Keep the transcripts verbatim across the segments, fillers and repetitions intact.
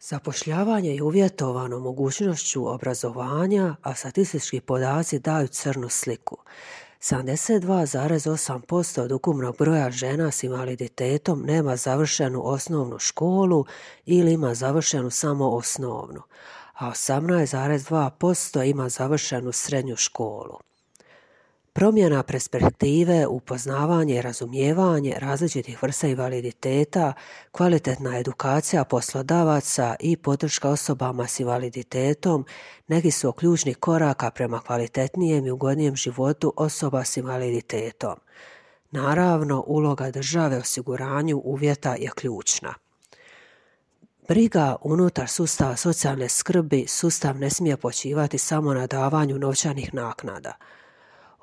Zapošljavanje je uvjetovano mogućnošću obrazovanja, a statistički podaci daju crnu sliku. sedamdeset dva zarez osam posto od ukupnog broja žena s invaliditetom nema završenu osnovnu školu ili ima završenu samo osnovnu, a osamnaest zarez dva posto ima završenu srednju školu. Promjena perspektive, upoznavanje i razumijevanje različitih vrsta invaliditeta, kvalitetna edukacija poslodavaca i podrška osobama s invaliditetom neki su od ključnih koraka prema kvalitetnijem i ugodnijem životu osoba s invaliditetom. Naravno, uloga države u osiguranju uvjeta je ključna. Briga unutar sustava socijalne skrbi sustav ne smije počivati samo na davanju novčanih naknada.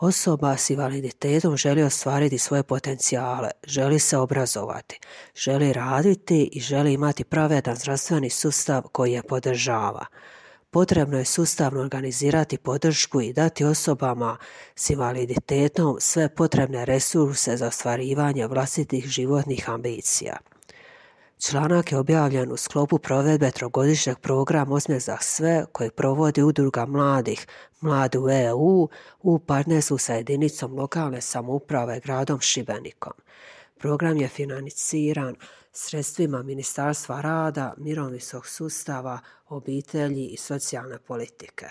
Osoba s invaliditetom želi ostvariti svoje potencijale, želi se obrazovati, želi raditi i želi imati pravedan zdravstveni sustav koji je podržava. Potrebno je sustavno organizirati podršku i dati osobama s invaliditetom sve potrebne resurse za ostvarivanje vlastitih životnih ambicija. Članak je objavljen u sklopu provedbe trogodišnjeg programa Osmijeh za sve koji provodi Udruga mladih Mladi u E U u partnerstvu sa jedinicom lokalne samouprave gradom Šibenikom. Program je financiran sredstvima Ministarstva rada, mirovinskog sustava, obitelji i socijalne politike.